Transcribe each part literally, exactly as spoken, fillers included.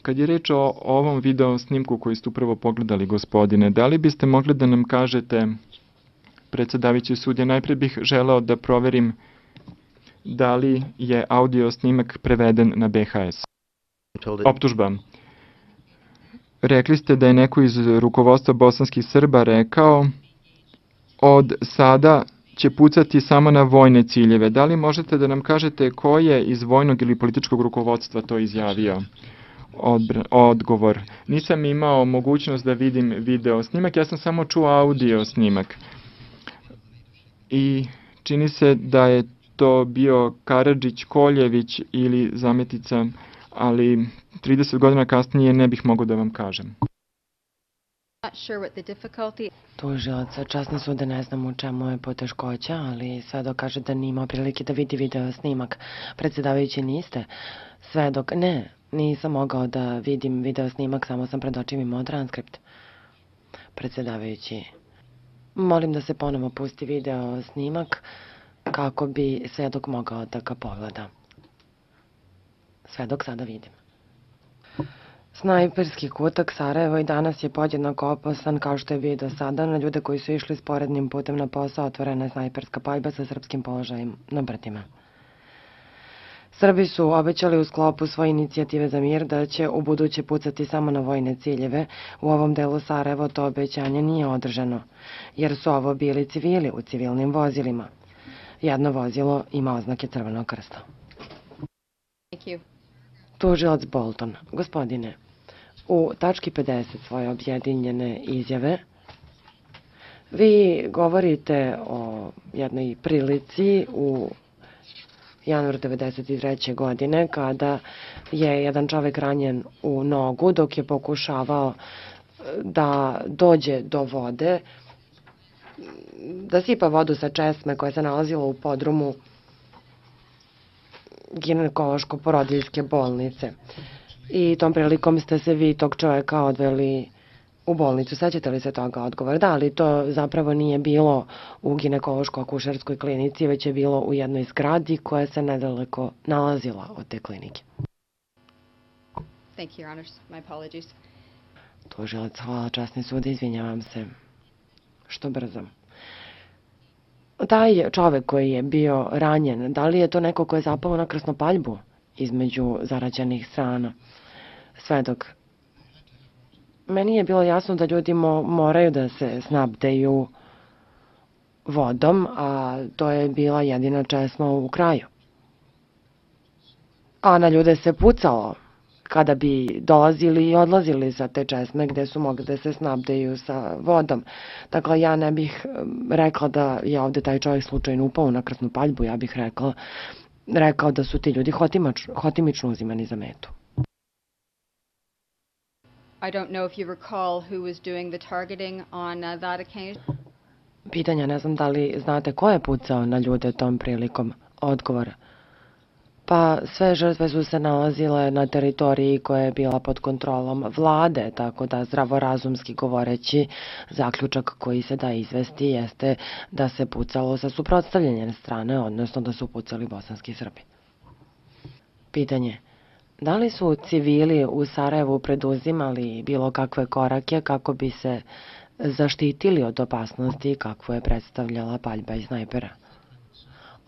kad je reč o ovom video snimku koji ste upravo pogledali, gospodine, da li biste mogli da nam kažete, predsedavajući sudija, najpre bih želeo da proverim da li je audio snimak preveden na B H S. Optužba. Rekli ste da je neko iz rukovodstva bosanskih Srba rekao od sada će pucati samo na vojne ciljeve. Da li možete da nam kažete ko je iz vojnog ili političkog rukovodstva to izjavio? Odbr odgovor. Nisam imao mogućnost da vidim video snimak, ja sam samo čuo audio snimak. I čini se da je to bio Karadžić, Koljević ili Zametica, ali trideset godina kasnije ne bih mogao da vam kažem. Tužilac, časni sude, ne znam u čemu je poteškoća, ali svedok kaže da nije imao prilike da vidi video snimak. Predsedavajući, niste? Svedok, ne, nisam mogao da vidim video snimak, samo sam pred očima imao transkript. Predsedavajući, molim da se ponovo pusti video snimak kako bi svedok mogao da ga pogleda. Svedok, sada vidim. Snajperski kutak Sarajevo i danas je podjednako opasan kao što je bio do sada. Na ljude koji su išli sporednim putem na posao otvorena je snajperska paljba sa srpskim položajem na brdima. Srbi su obećali u sklopu svoje inicijative za mir da će u buduće pucati samo na vojne ciljeve. U ovom delu Sarajevo to obećanje nije održano, jer su ovo bili civili u civilnim vozilima. Jedno vozilo ima oznake Crvenog krsta. Tužilac Bolton, gospodine, u tački pedeset svoje objedinjene izjave vi govorite o jednoj prilici u januaru devedeset treće. godine kada je jedan čovek ranjen u nogu dok je pokušavao da dođe do vode, da sipa vodu sa česme koja se nalazila u podrumu ginekološko-porodiljske bolnice. I tom prilikom ste se vi tog čoveka odveli u bolnicu. Sećate li se toga odgovora? Da, ali to zapravo nije bilo u ginekološko-akušerskoj klinici, već je bilo u jednoj zgradi koja se nedaleko nalazila od te klinike. Thank you, Your Honors. My apologies. Tužilac, hvala, časni sud, izvinjavam se. Što brzo. Taj čovek koji je bio ranjen, da li je to neko ko je zapao na krasnopaljbu između zarađenih strana? Svedok, meni je bilo jasno da ljudi moraju da se snabdeju vodom, a to je bila jedina česma u kraju. A na ljude se pucalo kada bi dolazili i odlazili sa te česme gde su mogli da se snabdeju sa vodom. Dakle, ja ne bih rekla da je ovde taj čovjek slučajno upao na krasnu paljbu, ja bih rekla, rekao da su ti ljudi hotimično uzimani za metu. I don't know if you recall who was doing the targeting on uh, that occasion. Pitanja, ne znam da li znate ko je pucao na ljude tom prilikom. Odgovora. Pa sve žrtve su se nalazile na teritoriji koja je bila pod kontrolom vlade, tako da zdravorazumski govoreći zaključak koji se da izvesti jeste da se pucalo sa suprotstavljene strane, odnosno da su pucali bosanski Srbi. Pitanje. Da li su civili u Sarajevu preduzimali bilo kakve korake kako bi se zaštitili od opasnosti kakvu je predstavljala paljba iz snajpera?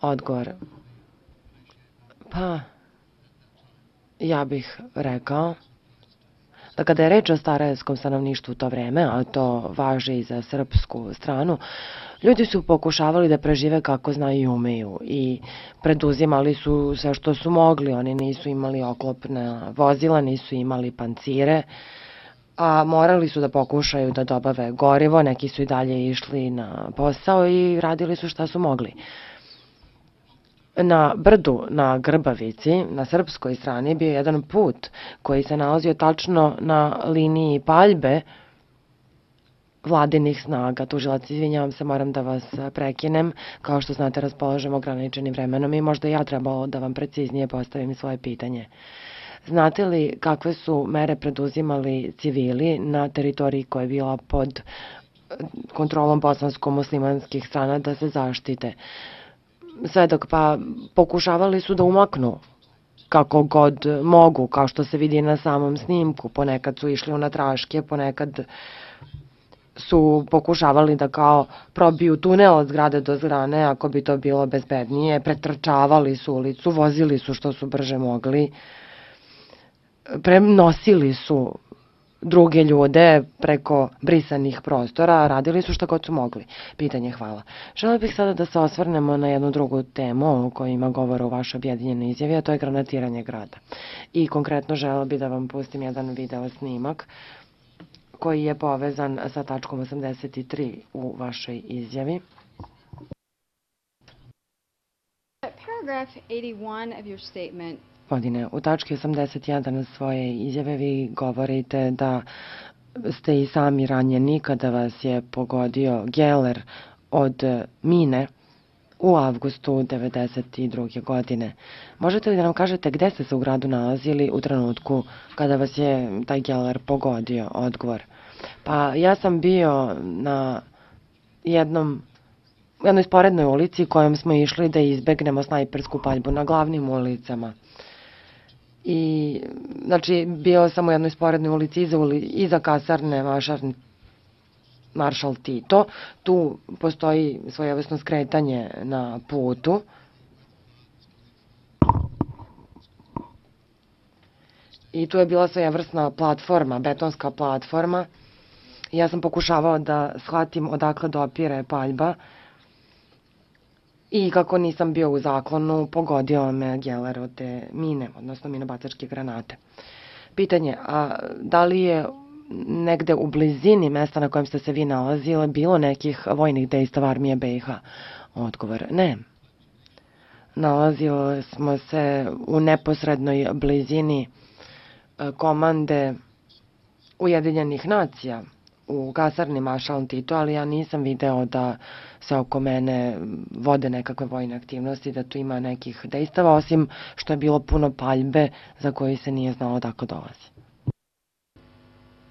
Odgovor. Pa, ja bih rekao da kada je reč o sarajevskom stanovništvu u to vreme, a to važi i za srpsku stranu, ljudi su pokušavali da prežive kako znaju i umeju i preduzimali su sve što su mogli. Oni nisu imali oklopna vozila, nisu imali pancire, a morali su da pokušaju da dobave gorivo, neki su i dalje išli na posao i radili su šta su mogli. Na brdu, na Grbavici, na srpskoj strani, bio jedan put koji se nalazio tačno na liniji paljbe vladinih snaga. Tužilac, izvinjavam se, moram da vas prekinem. Kao što znate, raspolažem ograničenim vremenom i možda ja trebalo da vam preciznije postavim svoje pitanje. Znate li kakve su mere preduzimali civili na teritoriji koja je bila pod kontrolom bosansko-muslimanskih strana da se zaštite? Svedok, pa pokušavali su da umaknu kako god mogu, kao što se vidi na samom snimku. Ponekad su išli u natraške, ponekad su pokušavali da kao probiju tunel od zgrade do zgrane, ako bi to bilo bezbednije, pretrčavali su ulicu, vozili su što su brže mogli, prenosili su druge ljude preko brisanih prostora, radili su što god su mogli. Pitanje, hvala. Želeo bih sada da se osvrnemo na jednu drugu temu o kojoj ima govora u vašoj objedinjenoj izjavi, a to je granatiranje grada. I konkretno želeo bih da vam pustim jedan video snimak koji je povezan sa tačkom osamdeset tri u vašoj izjavi. Paragraph eighty-one of your statement. Gospodine, u tački osamdeset jedan svoje izjave vi govorite da ste i sami ranjeni kada vas je pogodio geler od mine u avgustu devedeset druge. godine. Možete li da nam kažete gde ste se u gradu nalazili u trenutku kada vas je taj geler pogodio? Odgovor. Pa ja sam bio na jednom u jednoj sporednoj ulici kojom smo išli da izbegnemo snajpersku paljbu na glavnim ulicama. I, znači, bio sam u jednoj sporednoj ulici iza, uli, iza kasarne Maršal, Maršal Tito. Tu postoji svojevrsno skretanje na putu. I tu je bila svojevrsna platforma, betonska platforma. Ja sam pokušavao da shvatim odakle dopire paljba. I kako nisam bio u zaklonu, pogodio me geler od te mine, odnosno minobacačke granate. Pitanje, a da li je negde u blizini mesta na kojem ste se vi nalazili bilo nekih vojnih dejstava armije B i H? Odgovor, ne. Nalazili smo se u neposrednoj blizini komande Ujedinjenih nacija u kasarni Maršal Tito, ali ja nisam video da se oko mene vode nekakve vojne aktivnosti, da tu ima nekih dejstava, osim što je bilo puno paljbe za koji se nije znalo odakle dolazi.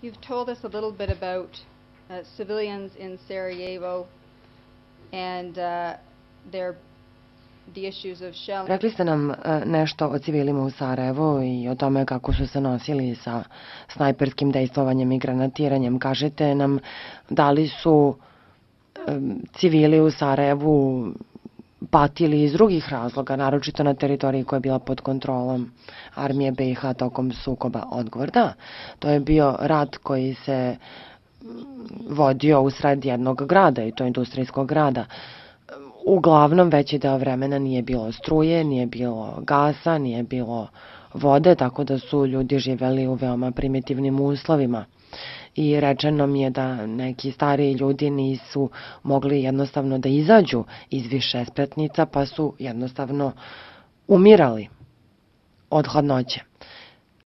You've told us a little bit about uh, civilians in Sarajevo and uh, their the issues of shelling. Rekli ste nam nešto o civilima u Sarajevu i o tome kako su se nosili sa snajperskim dejstvovanjem i granatiranjem. Kažete nam da li su civili u Sarajevu patili iz drugih razloga, naročito na teritoriji koja je bila pod kontrolom armije B i H tokom sukoba? Odgovor, da. To je bio rat koji se vodio usred jednog grada, i to industrijskog grada. Uglavnom, veći deo vremena nije bilo struje, nije bilo gasa, nije bilo vode, tako da su ljudi živeli u veoma primitivnim uslovima. I rečeno mi je da neki stariji ljudi nisu mogli jednostavno da izađu iz više spratnica, pa su jednostavno umirali od hladnoće.